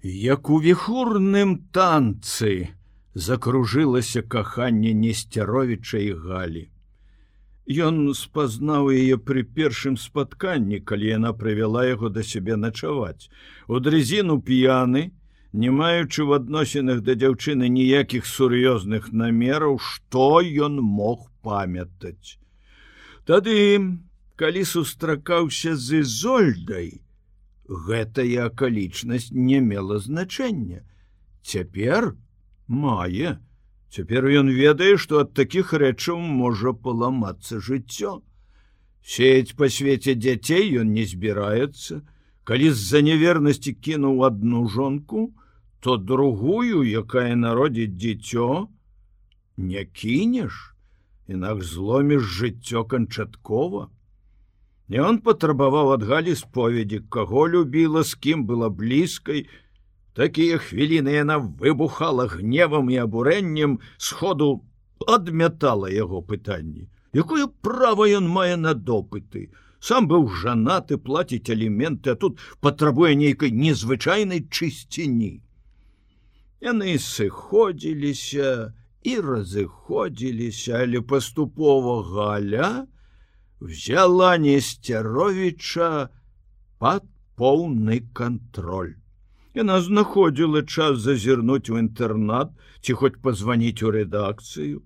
Як у віхурным танцы закружылася каханне Несцяровіча і Галі. Ён спазнаў яе пры першым спатканні, калі яна прывяла яго да сябе начаваць. У дрызіну п'яны, не маючы ў адносінах да дзяўчыны ніякіх сур'ёзных намераў, што ён мог памятаць. Тады, калі сустракаўся з Ізольдай, гэтая акалічнасць не мела значэння. Цяпер мае. Цяпер ён ведае, што ад такіх рэчаў можа паламацца жыццё. Сеяць па свеце дзяцей ён не збіраецца. Калі з-за нявернасці кінуў адну жонку, то другую, якая народзіць дзіцё, не кінеш, інакш зломіш жыццё канчаткова. Ён патрабаваў ад Галі споведзі, каго любіла, з кім была блізкай. Такія хвіліны яна выбухала гневам і абурэннем, сходу адмятала яго пытанні. Якое права ён мае на допыты? Сам быў жанаты, плаціць аліменты, а тут патрабуе нейкай незвычайнай чысціні. Яны сыходзіліся і разыходзіліся, але паступова Галя взяла Несцяровіча пад поўны кантроль. Яна знаходзіла час зазірнуць у інтэрнат ці хоць пазваніць у рэдакцыю.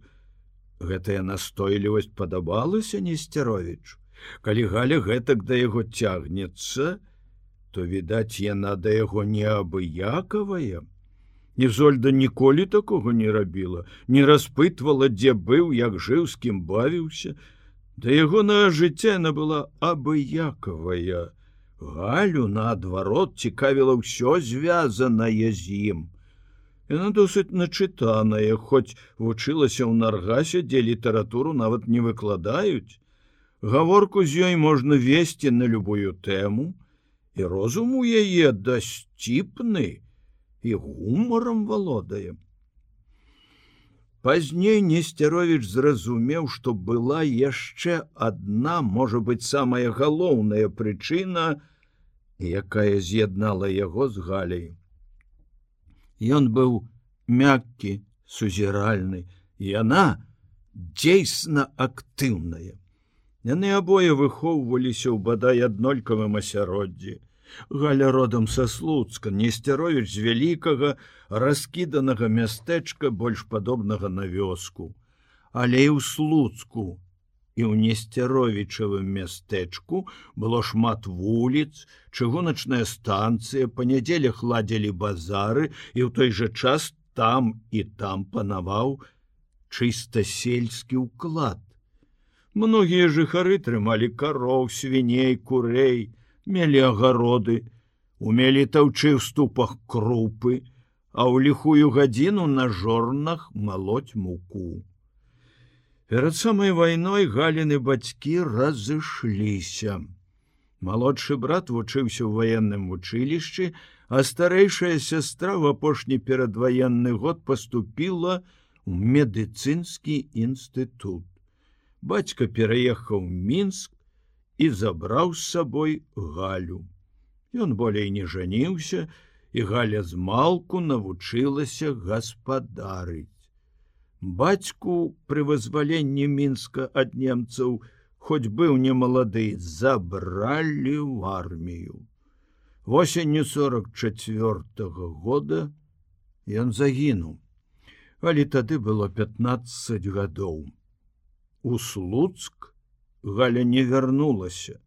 Гэтая настойлівасць падабалася Несцяровічу. Калі Галя гэтак да яго цягнецца, то, відаць, яна да яго неабыякавая. Ізольда ніколі такога не рабіла, не распытвала, дзе быў, як жыў, з кім бавіўся. Да ягонага жыцця яна была абыякавая. Галю, наадварот, цікавіла ўсё звязанае з ім. Яна досыць начытаная, хоць вучылася ў Наргасе, дзе літаратуру нават не выкладаюць. Гаворку з ёй можна весці на любую тэму, і розум у яе дасціпны, і гумарам валодае. Пазней Несцяровіч зразумеў, што была яшчэ адна, можа быць, самая галоўная прычына, якая з'яднала яго з Галяй. Ён быў мяккі, сузіральны, яна дзейсна актыўная. Яны абое выхоўваліся ў бадай аднолькавым асяроддзі. Галя родам са Слуцка, Несцяровіч з вялікага, раскіданага мястэчка, больш падобнага на вёску. Але і ў Слуцку, і ў Несцяровічавым мястэчку было шмат вуліц, чыгуначная станцыя, па нядзелях ладзілі базары, і ў той жа час там і там панаваў чыста сельскі ўклад. Многія жыхары трымалі кароў, свіней, курэй, мелі агароды, умелі таўчы ў ступах крупы, а ў ліхую гадзіну на жорнах малоць муку. Перад самай вайной Галіны бацькі разышліся. Малодшы брат вучыўся ў ваенным вучылішчы, а старэйшая сястра ў апошні перадваенны год паступіла ў медыцынскі інстытут. Бацька пераехаў у Мінск і забраў з сабой Галю. Ён болей не жаніўся, і Галя змалку навучылася гаспадарыць. Бацьку пры вызваленні Мінска ад немцаў, хоць быў немалады, забралі ў армію. Восенню 44-го года ён загінуў, але тады было 15 гадоў. У Слуцк Галя не вярнулася.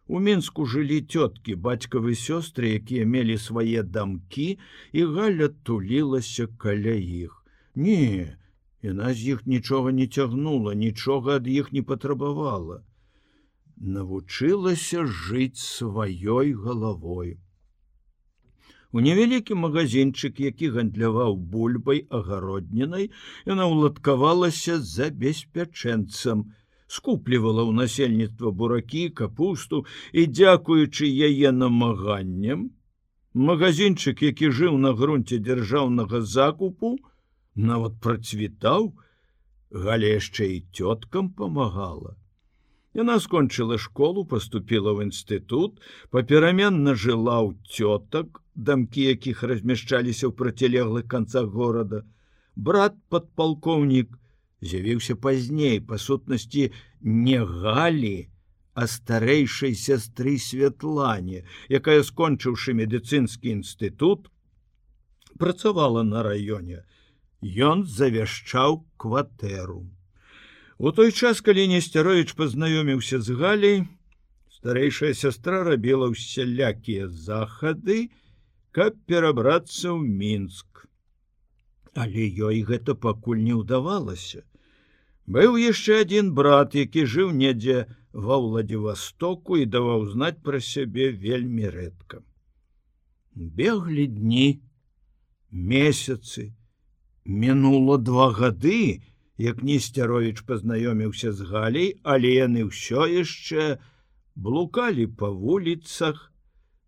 У Мінску жылі цёткі, бацькавы сёстры, якія мелі свае дамкі, і Галя тулілася каля іх. Не, яна з іх нічога не цягнула, нічога ад іх не патрабавала. Навучылася жыць сваёй галавой. У невялікі магазинчык, які гандляваў бульбай агароднінай, яна ўладкавалася забеспячэнцам, скуплівала ў насельніцтва буракі, капусту, і, дзякуючы яе намаганням, магазинчык, які жыў на грунце дзяржаўнага закупу, нават працвітаў. Галя яшчэ і цёткам памагала. Яна скончыла школу, паступіла ў інстытут, папераменна жыла ў цётак, дамкі якіх размяшчаліся ў процілеглых канцах горада. Брат падпалкоўнік з'явіўся пазней, па сутнасці не Галі, а старэйшай сястры Святлане, якая, скончыўшы медыцынскі інстытут, працавала на раёне. Ён завяшчаў кватэру. У той час, калі Несцяровіч пазнаёміўся з Галяй, старэйшая сястра рабіла ўсялякія захады, каб перабрацца ў Мінск. Але ёй гэта пакуль не ўдавалася. Быў яшчэ адзін брат, які жыў недзе ва Владивостоку і даваў знаць пра сябе вельмі рэдка. Беглі дні, месяцы. Мінула 2 гады, як Несцяровіч пазнаёміўся з Галяй, але яны ўсё яшчэ блукалі па вуліцах,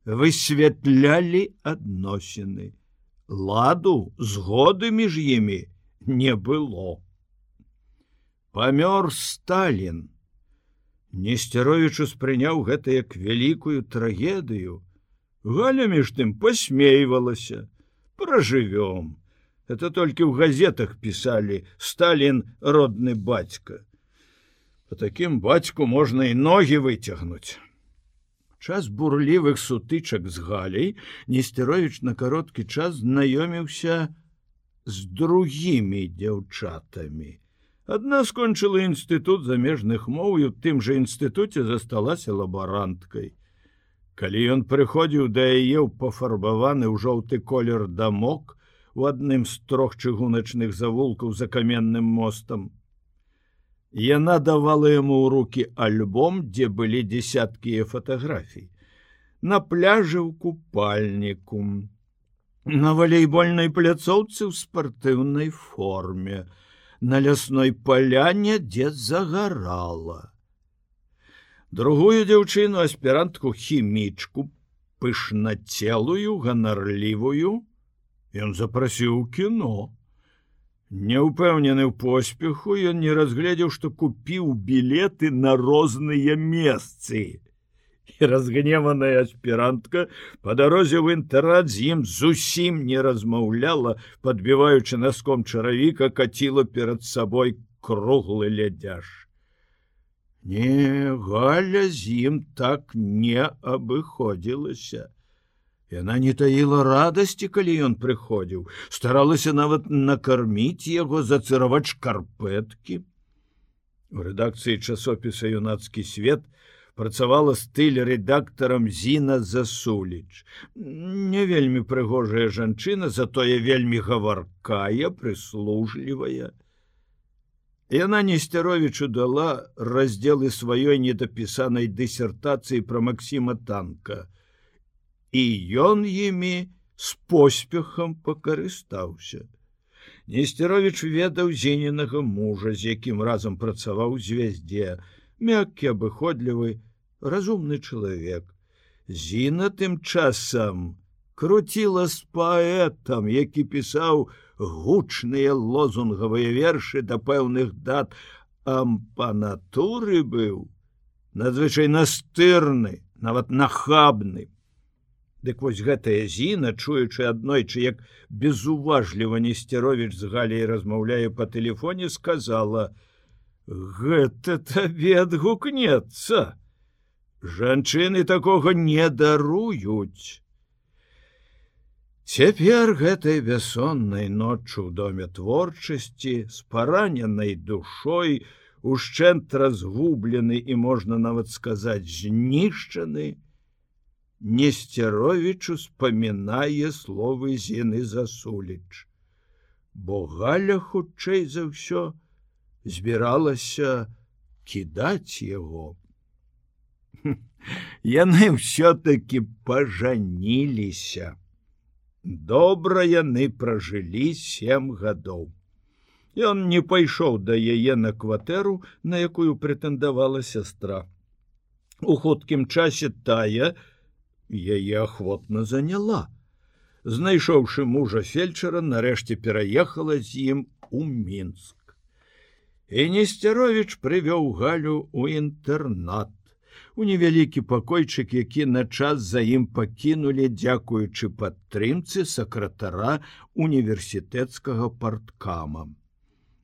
высвятлялі адносіны. Ладу, згоды між імі не было. Памёр Сталін. Несцяровіч успрыняў гэта як вялікую трагедыю. Галя між тым пасмейвалася. Пражывём. Это толькі ў газетах пісалі: Сталін родны бацька. Па такім бацьку можна і ногі выцягнуць. Час бурлівых сутычак з Галяй Несцяровіч на кароткі час знаёміўся з другімі дзяўчатамі. Адна скончыла інстытут замежных моў і ў тым жа інстытуце засталася лабаранткай. Калі ён прыходзіў да яе ў пафарбаваны ў жоўты колер дамок у адным з 3 чыгуначных завулкаў за каменным мостам, яна давала яму ў рукі альбом, дзе былі дзесяткі фатаграфій. На пляжы ў купальніку, на валейбольнай пляцоўцы ў спартыўнай форме, на лясной паляне, дзе загарала. Другую дзяўчыну, аспірантку хімічку, пышнацелую, ганарлівую, ён запрасіў у кіно. Няўпэўнены ў поспеху, ён не разгледзеў, што купіў білеты на розныя месцы. І разгневаная аспірантка па дарозе ў інтэрнат з ім зусім не размаўляла, падбіваючы наском чаравіка, каціла перад сабой круглы лядзяж. Не, Галя з ім так не абыходзілася. Яна не таіла радасці, калі ён прыходзіў, старалася нават накарміць яго, зацыраваць шкарпэткі. У рэдакцыі часопіса «Юнацкі свет» працавала стыль-рэдактарам Зіна Засуліч. Не вельмі прыгожая жанчына, затое вельмі гаваркая, прыслужлівая. Яна Несцяровічу дала раздзелы сваёй недапісанай дысертацыі пра Максіма Танка. І ён імі з поспехам пакарыстаўся. Несцяровіч ведаў Зінінага мужа, з якім разам працаваў у «Звяздзе», мяккі, абыходлівы, разумны чалавек. Зіна тым часам круціла з паэтам, які пісаў гучныя лозунгавыя вершы да пэўных дат, а па натуры быў надзвычай настырны, нават нахабны. Дык вось гэтая Зіна, чуючы аднойчы, як безуважліва Несцяровіч з Галяй размаўляе па тэлефоне, сказала: «Гэта табе адгукнецца. Жанчыны такога не даруюць». Цяпер гэтай бяссоннай ноччу ў доме творчасці, з параненай душой, ушчэнт разгублены і, можна нават сказаць, знішчаны, Несцяровіч успамінае словы Зіны Засуліч, бо Галя, хутчэй за ўсё, збіралася кідаць яго. Яны ўсё-такі пажаніліся. Добра яны пражылі 7 гадоў. Ён не пайшоў да яе на кватэру, на якую прэтэндавала сястра. У хуткім часе тая яе ахвотна заняла. Знайшоўшы мужа фельчара, нарэшце пераехала з ім у Мінск. І Несцяровіч прывёў Галю ў інтэрнат, у невялікі пакойчык, які на час за ім пакінулі, дзякуючы падтрымцы сакратара універсітэцкага парткама.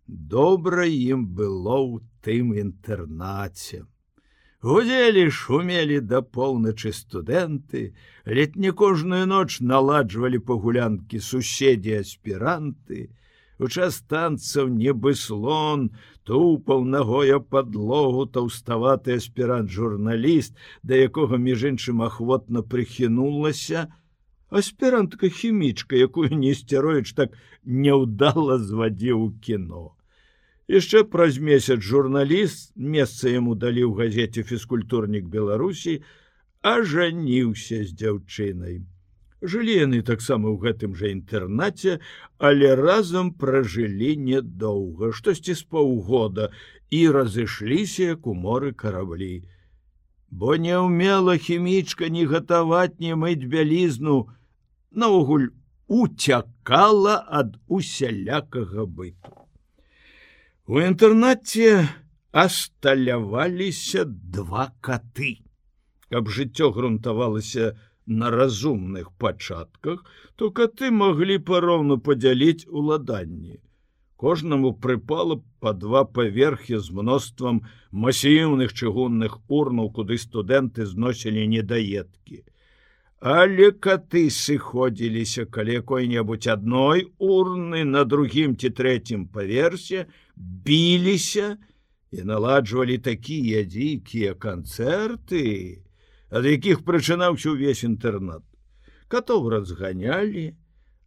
Добра ім было ў тым інтэрнаце. Гудзелі, шумелі да поўначы студэнты, ледь не кожную ноч наладжвалі пагулянкі суседзі-аспіранты. У час танцаў нібы слон тупаў нагой аб падлогу таўставаты аспірант-журналіст, да якога, між іншым, ахвотна прыхінулася аспірантка-хімічка, якую Несцяровіч так няўдала звадзіў у кіно. Яшчэ праз месяц журналіст, месца яму далі ў газеце «Фізкультурнік Беларусі», ажаніўся з дзяўчынай. Жылі яны таксама ў гэтым жа інтэрнаце, але разам пражылі нядоўга, штосьці з паўгода, і разышліся, як у моры караблі. Бо не ўмела хімічка ні гатаваць, ні мыць бялізну, наогул уцякала ад усялякага быту. У інтэрнаце асталяваліся два каты. Каб жыццё грунтавалася на разумных пачатках, то каты маглі пароўну падзяліць уладанні. Кожнаму прыпала па два паверхі з мноствам масіўных чыгунных урнаў, куды студэнты зносілі недаедкі. Але каты сыходзіліся каля якой-небудзь адной урны на другім ці трэцім паверсе, біліся і наладжвалі такія дзікія канцэрты, ад якіх прачынаўся ўвесь інтэрнат. Катоў разганялі,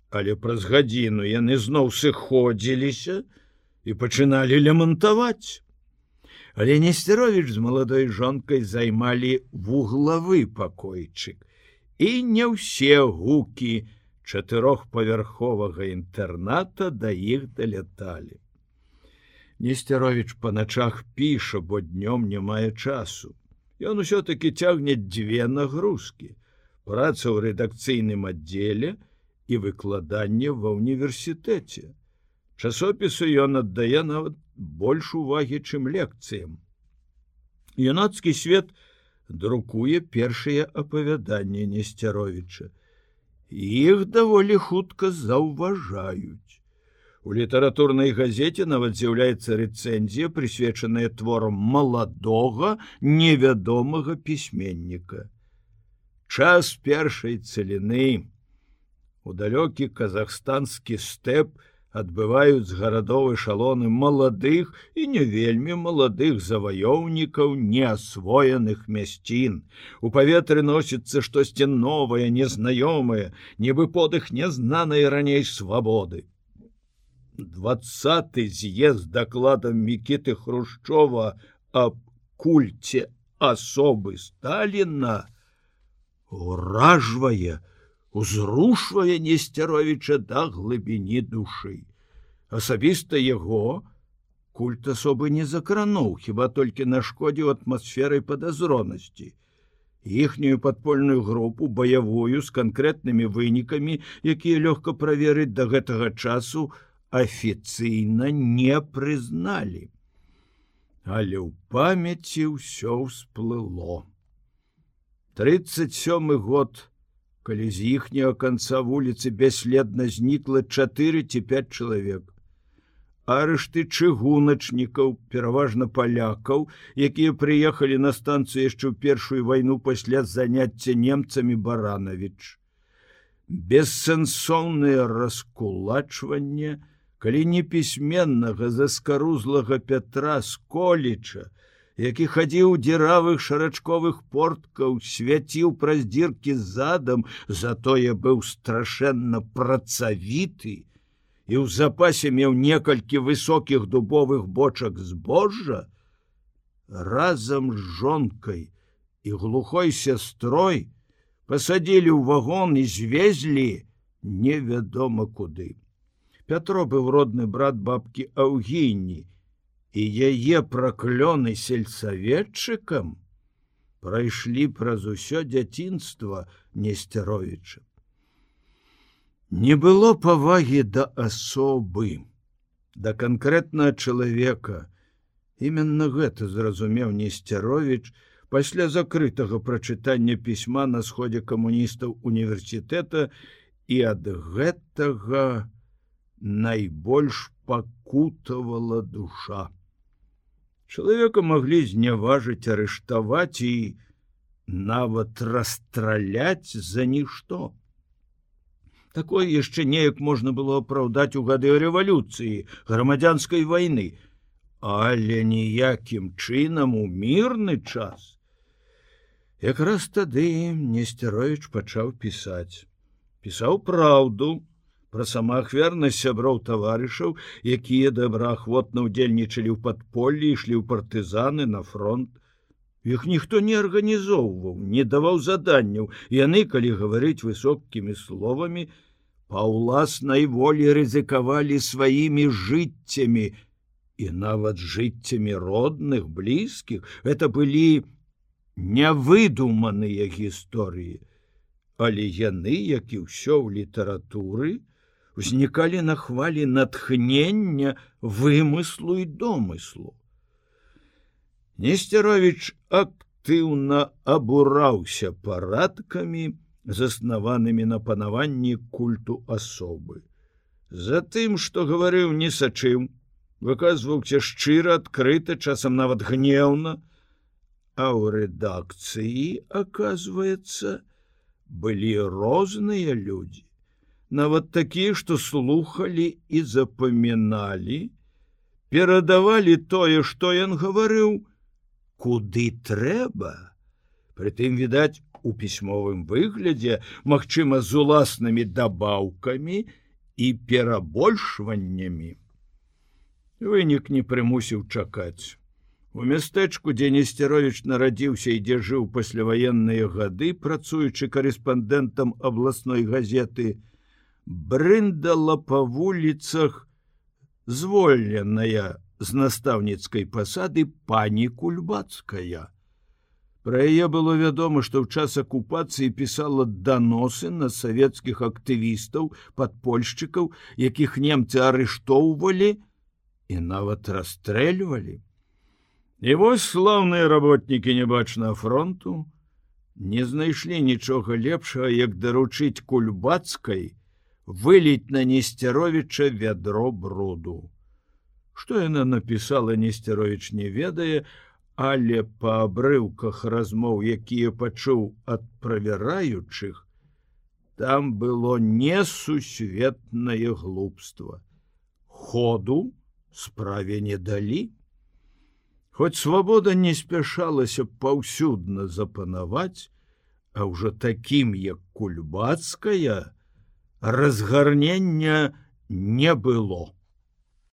але праз гадзіну яны зноў сыходзіліся і пачыналі лямантаваць. Але Несцяровіч з маладой жонкай займалі вуглавы пакойчык, і не ўсе гукі чатырохпавярховага інтэрната да іх даляталі. Несцяровіч па начах піша, бо днём не мае часу. Ён усё-такі цягне дзве нагрузкі: праца ў рэдакцыйным аддзеле і выкладанне ва ўніверсітэце. Часопісу ён аддае нават больш увагі, чым лекцыям. Юнацкі свет друкуе першыя апавяданні Несцяровіча. Іх даволі хутка заўважаюць. У літаратурнай газеце нават з'яўляецца рэцэнзія, прысвечаная творам маладога, невядомага пісьменніка. Час першай цаліны. У далёкі казахстанскі стэп адбываюць з гарадоў эшалоны маладых і не вельмі маладых заваёўнікаў неасвоеных мясцін. У паветры носіцца штосьці новае, незнаёмае, нібы подых нязнанай раней свабоды. 20-й з'езд з дакладам Мікіты Хрушчова аб кульце асобы Сталіна уражвае, узрушвае Несцяровіча да глыбіні душы. Асабіста яго культ асобы не закрануў, хіба толькі нашкодзіў атмасферай падазронасці. Іхнюю падпольную групу, баявую, з канкрэтнымі вынікамі, якія лёгка праверыць да гэтага часу, афіцыйна не прызналі. Але ў памяці ўсё ўсплыло. 37-й год, калі з іхняга канца вуліцы бясследна знікла 4 ці 5 чалавек. Арышты чыгуначнікаў, пераважна палякаў, якія прыехалі на станцыю яшчэ ў першую вайну пасля заняцця немцамі Баранавіч. Бессэнсоўнае раскулачванне, калі непісьменнага заскарузлага Пятра Сколіча, які хадзіў у дзіравых шарачковых порткаў, свяціў праз дзіркі задам, затое быў страшэнна працавіты і ў запасе меў некалькі высокіх дубовых бочак збожжа, разам з жонкай і глухой сястрой пасадзілі ў вагон і звезлі невядома куды. Пятро быў родны брат бабкі Аўгіні, і яе праклёны сельсаветчыкам прайшлі праз усё дзяцінства Несцяровіча. Не было павагі да асобы, да канкрэтнага чалавека. Іменна гэта зразумеў Несцяровіч Пасля закрытага прачытання пісьма на сходзе камуністаў універсітэта і ад гэтага найбольш пакутавала душа. Чалавека маглі зняважыць, арыштаваць і нават расстраляць за нішто. Такое яшчэ неяк можна было апраўдаць у гады рэвалюцыі, грамадзянскай вайны, але ніякім чынам у мірны час. Якраз тады Несцяровіч пачаў пісаць. Пісаў праўду пра самаахвярнасць сяброў таварышаў, якія добраахвотна ўдзельнічалі ў падполлі, ішлі ў партызаны на фронт. Іх ніхто не арганізоўваў, не даваў заданняў. Яны, калі гаварыць высокімі словамі, па ўласнай волі рызыкавалі сваімі жыццямі і нават жыццямі родных, блізкіх. Гэта былі нявыдуманыя гісторыі, але яны, як і ўсё ў літаратуры, узнікалі на хвалі натхнення, вымыслу і домыслу. Несцяровіч актыўна абураўся парадкамі, заснаванымі на панаванні культу асобы. Затым, што гаварыў, не сачыў, выказваўся шчыра, адкрыта, часам нават гнеўна, а ў рэдакцыі, аказваецца, былі розныя людзі, нават такія, што слухалі і запаміналі, перадавалі тое, што ён гаварыў, куды трэба. Прытым, відаць, у пісьмовым выглядзе, магчыма, з уласнымі дабаўкамі і перабольшваннямі. Вынік не прымусіў чакаць. У мястэчку, дзе Несцяровіч нарадзіўся і дзе жыў пасляваенныя гады, працуючы карэспандэнтам абласной газеты, брындала па вуліцах звольненая з настаўніцкай пасады пані Кульбацкая. Пра яе было вядома, што ў час акупацыі пісала даносы на савецкіх актывістаў, падпольшчыкаў, якіх немцы арыштоўвалі і нават расстрэльвалі. І вось слаўныя работнікі небачнага фронту не знайшлі нічога лепшага, як даручыць Кульбацкай выліць на Несцяровіча вядро бруду. Што яна напісала, Несцяровіч не ведае, але па абрыўках размоў, якія пачуў ад правяраючых, там было несусветнае глупства. Ходу справе не далі. Хоць свабода не спяшалася паўсюдна запанаваць, а ўжо такім, як Кульбацкая, разгарнення не было.